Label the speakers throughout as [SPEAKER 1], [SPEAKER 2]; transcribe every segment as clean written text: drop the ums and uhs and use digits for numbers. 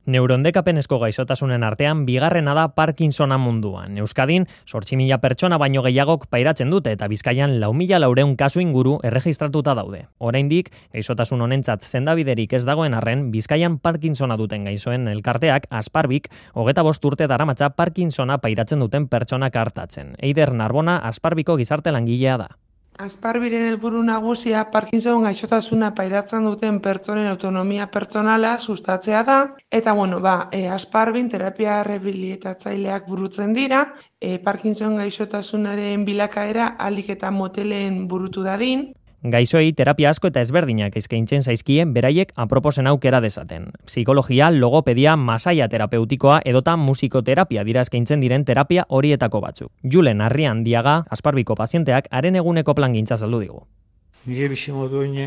[SPEAKER 1] Neurodekapenezko gaixotasunen artean bigarrena da Parkinsona munduan. Euskadin 8.000 pertsona baino gehiagok pairatzen dute eta Bizkaian 4.400 kasu inguru erregistratuta daude. Oraindik gaixotasun honentzat sendabiderik ez dagoen arren, Bizkaian Parkinsona duten gaixoen elkarteak Asparbik 25 urte daramatza Parkinsona pairatzen duten pertsonak artatzen. Eider Narbona Asparbiko gizarte langilea da.
[SPEAKER 2] Asparbiren helburu nagusia Parkinson gaixotasuna pairatzen duten pertsonen autonomia pertsonala sustatzea da eta Asparbin terapia rehabilitatzaileak burutzen dira, Parkinson gaixotasunaren bilakaera ahalik eta motelen burutu dadin.
[SPEAKER 1] Gaixoei terapia asko eta ezberdinak eskaintzen zaizkien beraiek aproposen aukera dezaten. Psikologia, logopedia, masaia terapeutikoa edota musikoterapia dira eskaintzen diren terapia horietako batzuk. Julen Arriandiaga, Asparbiko pazienteak haren eguneko plangintza saldu digu.
[SPEAKER 3] Nire bizimoduine,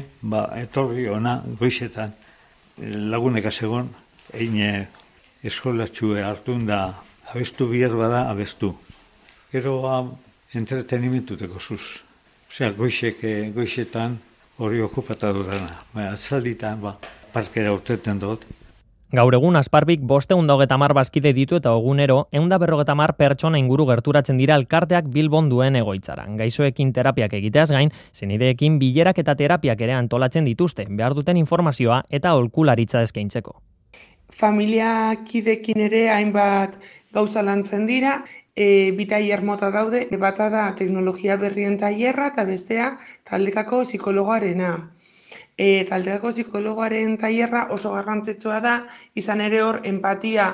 [SPEAKER 3] etorri ona goizetan laguneka segon, eine eskolatxue hartun da abestu bihar bada abestu. Gero entretenimentuteko zuz. Osea, goixetan hori okupata dudana. Atzalditan, parkera urteten dut.
[SPEAKER 1] Gaur egun Asparbik 550 bazkide ditu eta egunero 150 pertsona inguru gerturatzen dira elkarteak Bilbon duen egoitzara. Gaixoekin terapiak egiteaz gain, senideekin bilerak eta terapiak ere antolatzen dituzte, behar duten informazioa eta aholkularitza eskaintzeko.
[SPEAKER 2] Familiakidekin ere hainbat gauza lantzen dira. Bi tailer mota daude, bata da teknologia berrien tailerra eta bestea taldekako psikologoarena. Taldekako psikologoaren tailerra oso garrantzitsua da, izan ere hor empatia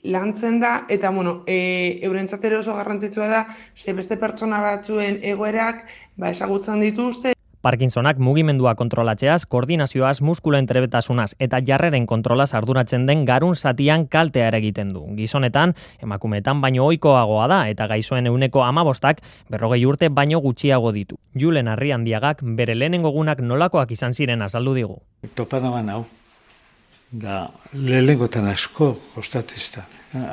[SPEAKER 2] lantzen da, eta eurentzat ere oso garrantzitsua da, beste pertsona batzuen egoerak ezagutzen dituzte.
[SPEAKER 1] Parkinsonak mugimendua kontrolatzeaz, koordinazioaz, muskuloen trebetasunaz eta jarreren kontrolaz arduratzen den garun zatian kaltea egiten du. Gizonetan, emakumeetan baino ohikoagoa da eta gaixoen 15%, 40 urte baino gutxiago ditu. Julen Arriandiagak bere lehenengo egunak nolakoak izan ziren azaldu digu.
[SPEAKER 3] Topanaban hau, da lehenengotan asko kostatezta,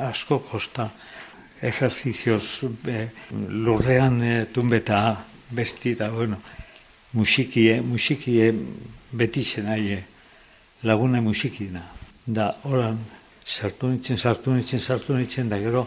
[SPEAKER 3] asko kosta ejerzizioz lurrean tunbeta besti da, musikie betixen aie, lagune musikina. Da, horan, sartu nitzen, da gero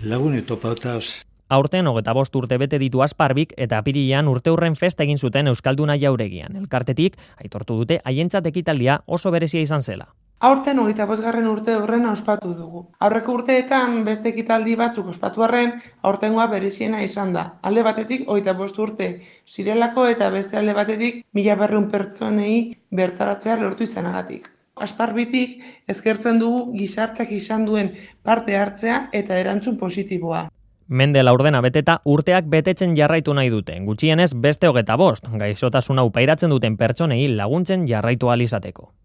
[SPEAKER 3] lagune topautaz.
[SPEAKER 1] Aurten 25 urte bete ditu Asparbik eta apirilean urteurren festa egin zuten Euskalduna Jauregian. Elkartetik, aitortu dute haientzat ekitaldia oso berezia izan zela.
[SPEAKER 2] Aurten 25. urte horren ospatu dugu. Aurreko urteetan beste ekitaldi batzuk ospatu arren, aurtengoa bereziena izan da. Alde batetik 25 urte zirelako eta beste alde batetik 1.200 pertsonei bertaratzea lortu izanagatik. Asparbitik eskertzen dugu gizarteak izan duen parte hartzea eta erantzun positiboa.
[SPEAKER 1] Mende laurdena beteta urteak betetzen jarraitu nahi dute. Gutxienez beste 25, gaixotasun hau pairatzen duten pertsonei laguntzen jarraitu ahal izateko.